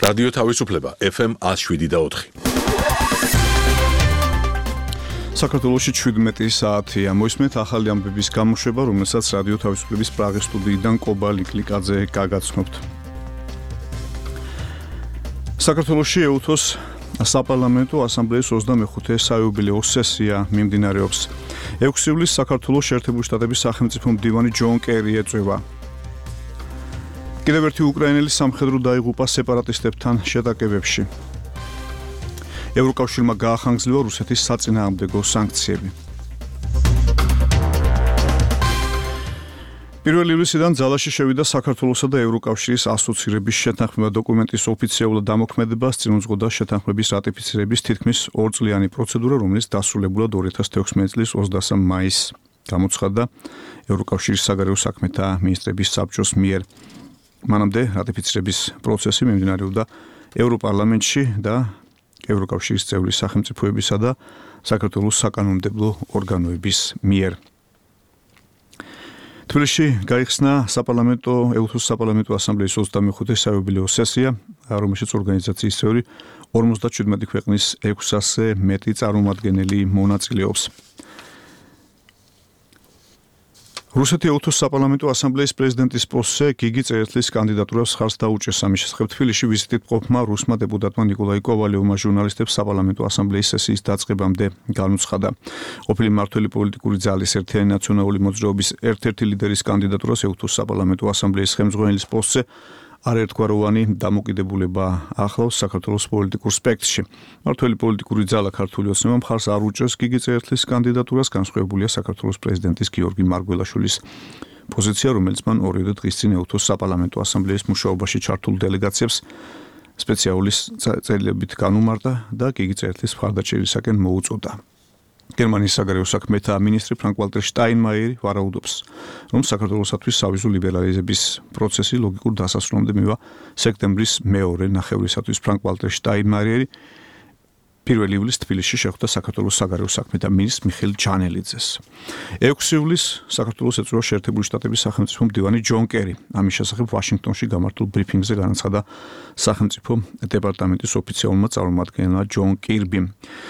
რადიო თავისუფლება FM 107.4. საქართველოში 17 საათია. მოისმენთ ახალი ამბების გამოშვება, რომელსაც რადიო თავისუფლების პრაღის სტუდიიდან კობა ლიკლიკაძე გაგაცნობთ. საქართველოში ეუთოს საპარლამენტო ასამბლეის 25-ე საიუბილეო სესია მიმდინარეობს. 6 ივლისს საქართველოს შეერთებული შტატების სახელმწიფო მდივანი ჯონ კერი ეწვევა. კიდევ ერთი უკრაინელი სამხედრო დაიღუპა სეპარატისტებთან შეტაკებებში. ევროკავშირმა გაახანგრძლივა რუსეთის საწინააღმდეგო სანქციები. 1 ივლისიდან ძალაში შევიდა საქართველოსა და ევროკავშირის ასოცირების შეთანხმება დოკუმენტის ოფიციალურად დამოქმედება წინუძღოდა შეთანხმების რატიფიცირების თითქმის 2 წლიანი პროცედურა, რომელიც დასრულებულად 2016 წლის 23 მაისს გამოცხადდა ევროკავშირის საგარეო საქმეთა მინისტრების საბჭოს მიერ. მანამდე რატიფიცირების პროცესი მიმდინარეობდა ევროპარლამენტში და ევროკავშირის წევრი სახელმწიფოებისა და საქართველოს საკანონმდებლო ორგანოების მიერ. თბილისში გაიხსნა ეუთოს საპარლამენტო ასამბლეის 25-ე საიუბილეო სესია, რომელშიც ორგანიზაციის წევრი 57 ქვეყნის 600-ზე მეტი წარმომადგენელი მონაწილეობს. რუსეთი ეუთოს საპარლამენტო ასამბლეის პრეზიდენტის პოსტზე გიგი წერეთლის კანდიდატურას ხარს დაუჭერს. ამის შესახებ თბილისში ვიზიტით მყოფმა რუსმა დეპუტატმა ნიკოლაი კოვალიოვმა ჟურნალისტებს საპარლამენტო ასამბლეის სესიის დაწყებამდე განუცხადა. ყოფილი მმართველი პოლიტიკური ძალის ერთიანი ნაციონალური მოძრაობის ერთ-ერთი ლიდერის კანდიდატურას ეუთოს საპარლამენტო ასამბლეის ხელმძღვანელის პოსტზე არაერთგვაროვანი დამოკიდებულება ახლავს საქართველოს პოლიტიკურ სპექტრში. მმართველი პოლიტიკური ძალა ქართული ოცნება მხარს არ უჭერს გიგი წერეთლის კანდიდატურას, განსხვავებულია საქართველოს პრეზიდენტის გიორგი მარგველაშვილის პოზიცია, რომელიც მან 2 დღის წინ ეუთოს საპარლამენტო ასამბლეის მუშაობაში ჩართულ დელეგაციებს სპეციალური წერილებით განუმარტა და გიგი წერეთლის მხარდაჭერისაკენ მოუწოდა. გერმანიის საგარეო საქმეთა მინისტრი ფრანკ-ვალტერ შტაინმაიერი ვარაუდობს, რომ საქართველოსათვის სავიზო ლიბერალიზების პროცესი ლოგიკურ დასასრულამდე მივა სექტემბრის მეორე ნახევრისათვის. ფრანკ-ვალტერ შტაინმაიერი 1 ივლისს თბილისში შეხვდა საქართველოს საგარეო საქმეთა მინისტრ მიხეილ ჯანელიძეს. 6 ივლისს საქართველოს ეწვევა შეერთებული შტატების სახელმწიფო მდივანი ჯონ კერი. ამის შესახებ ვაშინგტონში გამართულ ბრიფინგზე განაცხადა სახელმწიფო დეპარტამენტის ოფიციალურმა წარმომადგენელმა ჯონ კირბიმ.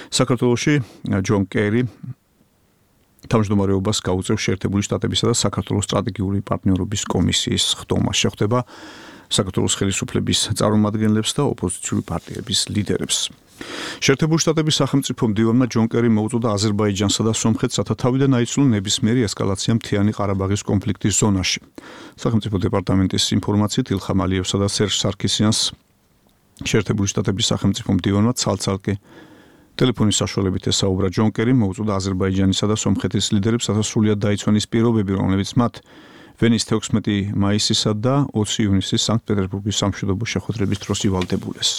საქართველოში ჯონ კერი თავმჯდომარეობას გაუწევს შეერთებული შტატებისა და საქართველოს სტრატეგიული პარტნიორობის კომისიის ხდომა. შეხვდება საქართველოს ხელისუფლების წარმომადგენლებს და ოპოზიციური პარტიების ლიდერებს. შეერთებული შტატების სახელმწიფო მდივანმა ჯონ კერი მოუწოდა აზერბაიჯანსა და სომხეთს, რათა თავიდან აიცნონ ნებისმიერი ესკალაცია მთიანი ყარაბაღის კონფლიქტის ზონაში. სახელმწიფო დეპარტამენტის ინფორმაციით ილხამ ალიევსა და სერჟ სარქისიანს შეერთებული შტატების სახელმწიფო მდივანმა ცალ-ცალკე ტელეფონის საშუალებით ესაუბრა. ჯონ კერი მოუწოდა აზერბაიჯანისა და სომხეთის ლიდერებს, რათა სრულად დაიცვან ის პირობები, რომლებიც მათ ვენის 16 მაისისა და 20 ივნისის სანქტ-პეტერბურგის სამშვიდობო შეხვედრების დროს ივალდებულეს.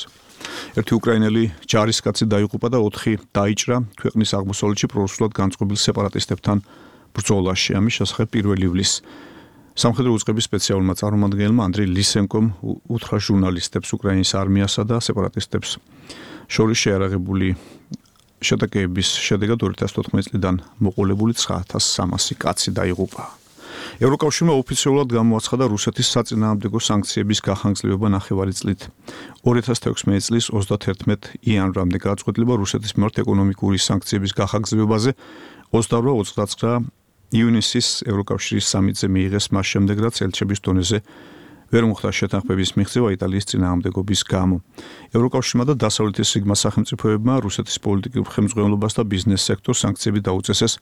ერთი უკრაინელი ჯარისკაცი დაიღუპა და 4 დაიჭრა ქვეყნის აღმოსავლეთში პრორუსულად განწყობილ სეპარატისტებთან ბრძოლაში. ამის შესახებ 1 ივლისს სამხედრო უწყების სპეციალურმა წარმომადგენელმა ანდრეი ლისენკომ უთხრა ჟურნალისტებს უკრაინის არმიასა და სეპარატისტებს შორის შეარაღებული შეტაკების შედეგად 2014 წლიდან მოყოლებული 9300 კაცი დაიღუპა. ევროკავშირმა ოფიციალურად გამოაცხადა რუსეთის საწინააღმდეგო სანქციების გახანგრძლივება ნახევარი წლით. 2016 წლის 31 იანვრამდე გაწყვეტილება რუსეთის მიმართ ეკონომიკური სანქციების გახანგრძლივებაზე 28-29 ივნისის ევროკავშირის სამიტზე მიიღეს, მას შემდეგ რაც ელჩების დონეზე ვერ მოხდა შეთანხმების მიღწევა იტალიის წინააღმდეგობის გამო. ევროკავშირმა და დასავლეთის სიგმა სახელმწიფოებმა რუსეთის პოლიტიკურ ხელმძღვანელობას და ბიზნეს სექტორს სანქციები დაუწესეს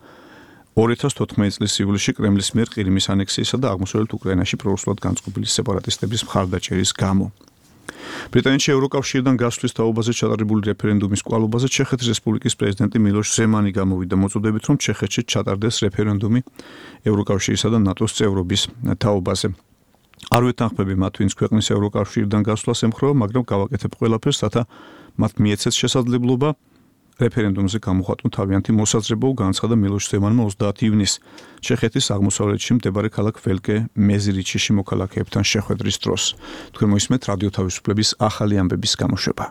2014 წლის ივლისში კრემლის მიერ ყირიმის ანექსიისა და აღმოსავლეთ უკრაინაში პრორუსულად განწყობილი სეპარატისტების მხარდაჭერის გამო. ბრიტანეთში ევროკავშირიდან გასვლის თაობაზე ჩატარებული რეფერენდუმის კვალობაზე ჩეხეთის რესპუბლიკის პრეზიდენტი მილოშ ზემანი გამოვიდა მოწოდებით, რომ ჩეხეთში ჩატარდეს რეფერენდუმი ევროკავშირისა და ნატოს წევრობის თაობაზე. არ ვეთანხმები მათ, ვინც ქვეყნის ევროკავშირიდან გასვლას ემხრობა, მაგრამ გავაკეთებ ყველაფერს, რათა მათ მიეცეს შესაძლებლობა რეფერენდუმზე გამოხატონ თავიანთი მოსაზრება, განაცხადა მილოშ ზემანმა 30 ივნისს ჩეხეთის აღმოსავლეთში მდებარე ქალაქ ველკე მეზირიჩიში მოქალაქეებთან შეხვედრის დროს. თქვენ მოისმენთ რადიო თავისუფლების ახალი ამბების გამოშვება.